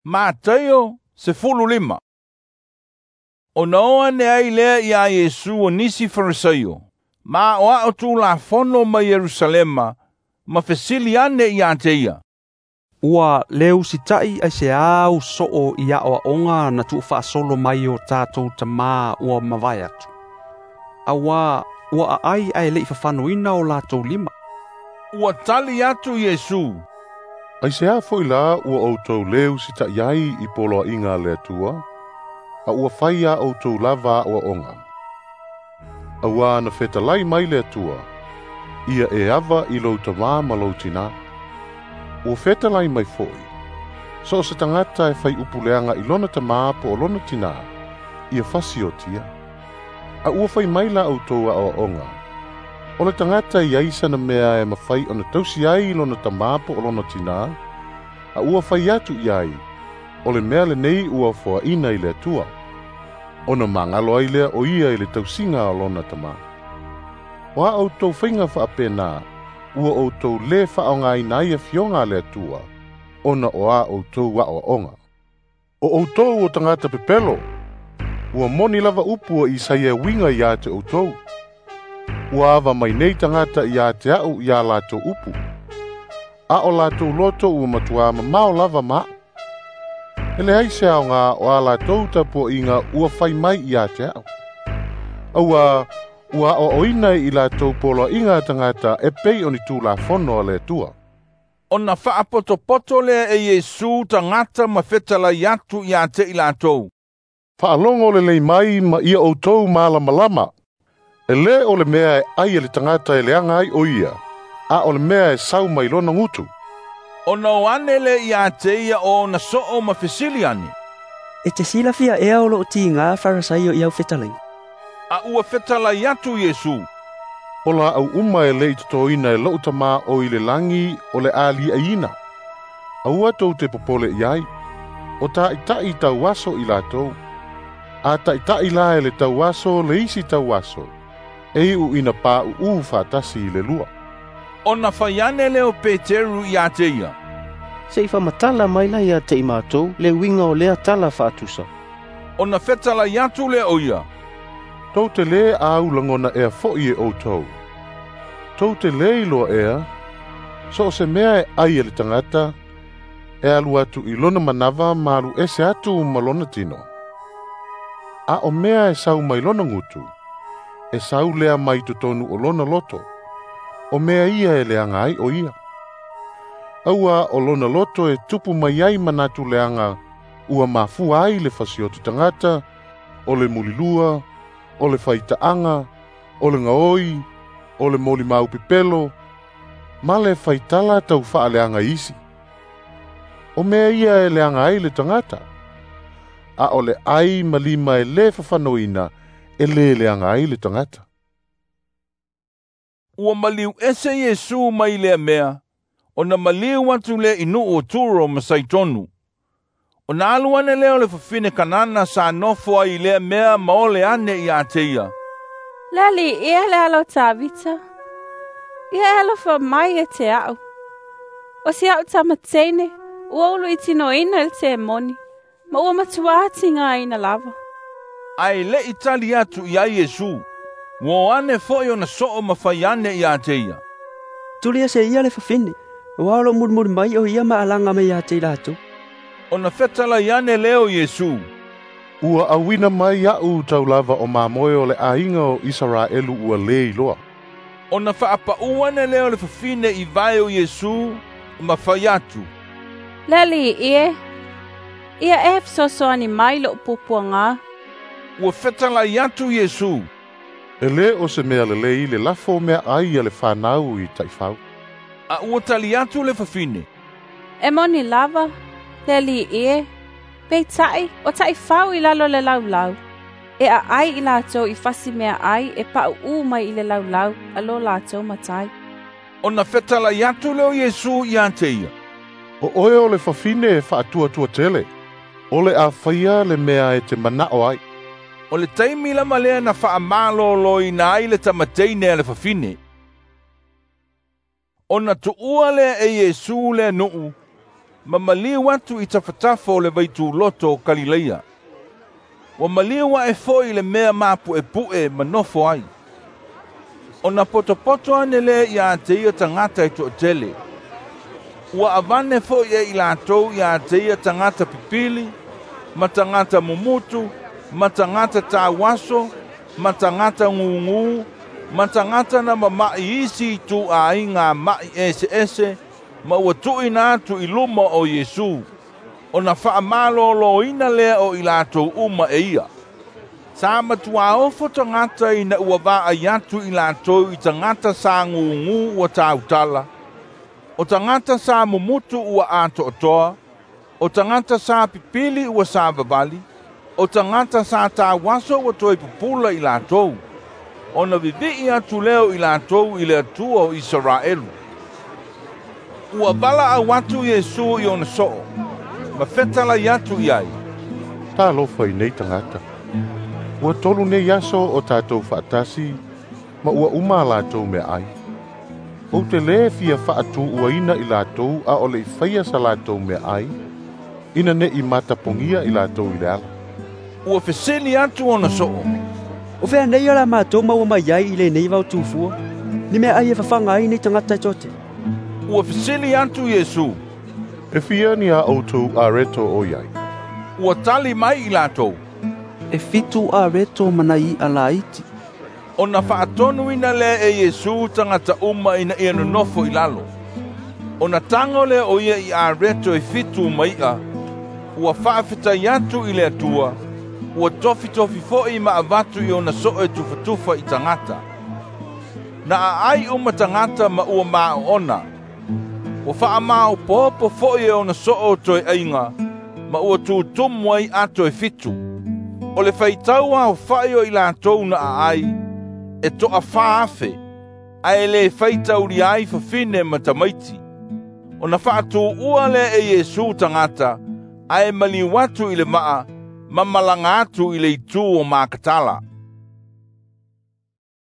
Mataio 15. Ona o ane ai lea iā Iesu o nisi Farisaio, ma aʻoaʻo Tulafono mai Ierusalema, ma fesili ane iā te ia. Ua le usitaʻi aiseā u soo i aʻoaʻoga na tuufaasolo mai o tatou tamā ua mavae atu. Auā ua aʻai ae leʻi fafanoina o latou lima. Ua tali atu Iesu. Aiseā foʻi lā ua ʻoutou lē usitaʻi ai i poloaʻiga a le Atua, a ua fai iā ʻoutou lava aʻoaʻoga. Auā na fetalai mai le Atua, ia e ava i lou tamā ma lou tinā. Ua fetalai mai foʻi, so o se tagata e fai upu leaga i lona tamā po o lona tinā, ia fasiotia. A ua fai mai la ʻoutou aʻoaʻoga, o le tagata i ai sana mea e mafai ona tausi ai i lona tamā po o lona tinā, a ua fai atu i ai, o le mea lenei ua foaʻina i le Atua. Ona magalo ai lea o ia i le tausiga o lona tamā. O a ʻoutou faiga faapena, ua ʻoutou lē faaaogāina ai afioga a le Atua, ona o a ʻoutou aʻoaʻoga. O ʻoutou o tagata pepelo, ua moni lava upu a Isaia e uiga iā te ʻoutou. Ua ava mai nei tagata iā te aʻu iā latou upu. A o latou loto ua matuā mamao lava ma aʻu. E leai se aogā o a latou tapuaʻiga ua fai mai iā te aʻu. Auā ua aʻoaʻoina i latou poloaʻiga a tagata e pei o ni Tulafono a le Atua. Ona faapotopoto lea e Iesu tagata ma fetalai atu iā te i latou. Faalogo lelei mai ma ia ʻoutou malamalama. E lē o le mea e ʻai e le tagata e leaga ai o ia, a o le mea e sau mai lona gutu. Ona o ane le iā te ia o ona soo ma fesili ane. E te silafia ea o loo tigā Farisaio i au fetalaiga. A ua fetalai atu Iesu. O laʻau uma e lē i totoina e loʻu Tamā o i le lagi o le a liʻaiina. Aua tou te popole i ai. O taʻitaʻi tauaso i latou. A taʻitaʻi la e le tauaso le isi tauaso. E iʻu ina paʻuʻū faatasi i le lua. Ona fai ane lea o Peteru iā te ia. Se i faamatala mai la ia te i matou le uiga o lea tala faatusa. Ona fetalai atu lea o ia. Tou te lē au lagona ea foʻi e ʻoutou. Tou te lē iloa ea, so o se mea e ʻai e le tagata, e alu atu i lona manava ma alu ese atu ma lona tino. A o mea e sau mai lona gutu, e sau lea mai totonu o lona loto, o mea ia e leaga ai o ia. Auā o lona loto e tupu mai ai manatu leaga ua mafua ai le fasioti tagata, o le mulilua, o le faitaʻaga, o le gaoi, o le molimau pepelo, ma le faitala taufaaleaga isi. O mea ia e leaga ai le tagata, a o le ʻai ma lima e lē fafanoina e lē leaga ai le tagata. Ua maliu ese Iesu mai lea mea, ona maliu atu lea i nuu o Turo ma Saitonu. Ona alu ane lea o le fafine Kanana sa nofo ai i lea mea ma ole ane iā te ia. Le Alii e le alo o Tavita. Ia e alofa mai ia te aʻu. O si aʻu tama teine, ua uluitinoina e le temoni, ma ua matuā tigāina lava. Ae leʻi tali atu i ai Iesu. Ua o ane foʻi ona soo ma fai ane iā te ia. Tuli ese ia le fafine, auā o loo mulimuli mai o ia ma alaga mai ia te i latou. Ona fetalai ane lea o Iesu. Ua auina mai aʻu taulava o mamoe o le ʻaiga o Isaraelu ua lē iloa. Ona faapaʻu ane lea o le fafine i vae o Iesu ma fai atu. Le Alii e, ia e fesoasoani mai loʻu puapuagā. Ua fetalai atu Iesu. E lē o se mea lelei le lafo meaʻai a le fanau i taʻifau. A ua tali atu le fafine. E moni lava, le Alii e, peitai o taʻifau i lalo le laulau. E aʻai i latou i fasi meaʻai e paʻuʻū mai i le laulau a lo latou matai. Ona fetalai atu lea o Iesu iā te ia. O oe o le fafine e faatuatua tele, o le a faia le mea e te manaʻo ai. O le taimi lava lea na faamalōlōina ai le tamateine a le fafine. Ona tuua lea e Iesu lea nuu, ma maliu atu i tafatafa o le vaituloto o Kalileia. Ua maliu ae foi i le mea mapu'epu'e ma nofo ai. Ona potopoto ane lea ia te ia tagata e to'atele. Ua avane foi e i latou ia te ia tagata pipili, ma tagata mumutu, ma tagata tauaso, ma tagata gugū, ma tagata na mama'i isi itu'āiga ma'i eseese, ma ua tu'uina atu i luma o Iesu, ona fa'amalōlōina lea o i latou uma e ia. Sa matuā ofo tagata ina ua vaai atu i latou i tagata sa gugū ua tautala, o tagata sa mumutu ua ato'atoa, o tagata sa pipili ua savavali, o tagata sa tauaso ua toe pupula i latou. Ona vivi'i atu lea o i latou i le Atua o Isaraelu. Ua valaau atu Iesu i ona so'o, ma fetalai atu i ai, Talofa i nei tagata. Ua 3 nei aso o tātou fa'atasi, ma ua uma a latou meaʻai. Ou te lē fia fa'atū'uaina i latou a o le'i faia sa latou meaʻai, ina ne'i matapogia i latou i le ala. Ua fesili atu ona so'o, O fea nei o la mātou maua mai ai i lenei vaotufua, ni meaʻai e fafaga ai nei tagata e toatele. Ua fesili atu Iesu, E fia ni a outou areto o iai? Ua tali mai i latou, E 7 areto ma nai i'a laiti. Ona fa'atonuina lea e Iesu tagata uma ina ia nonofo i lalo. Ona tago lea o ia i areto e 7 ma i'a, ua fa'afetai atu i le Atua, ua tofitofi fo'i ma avatu i ona so'o e tufatufa i tagata. Na a'ai uma tagata ma ua mā'o'ona. Ua fa'amaopoopo fo'i e ona so'o toe aiga, ma ua tutumu ai ato e 7. O le faitau aofa'i o i latou na a'ai, e to'a 4,000, ae lē faitaulia ai fafine ma tamaiti. Ona fa'atū'ua lea e Iesu tagata, ae maliu atu i le va'a, ma malaga atu i le itū o Makatala.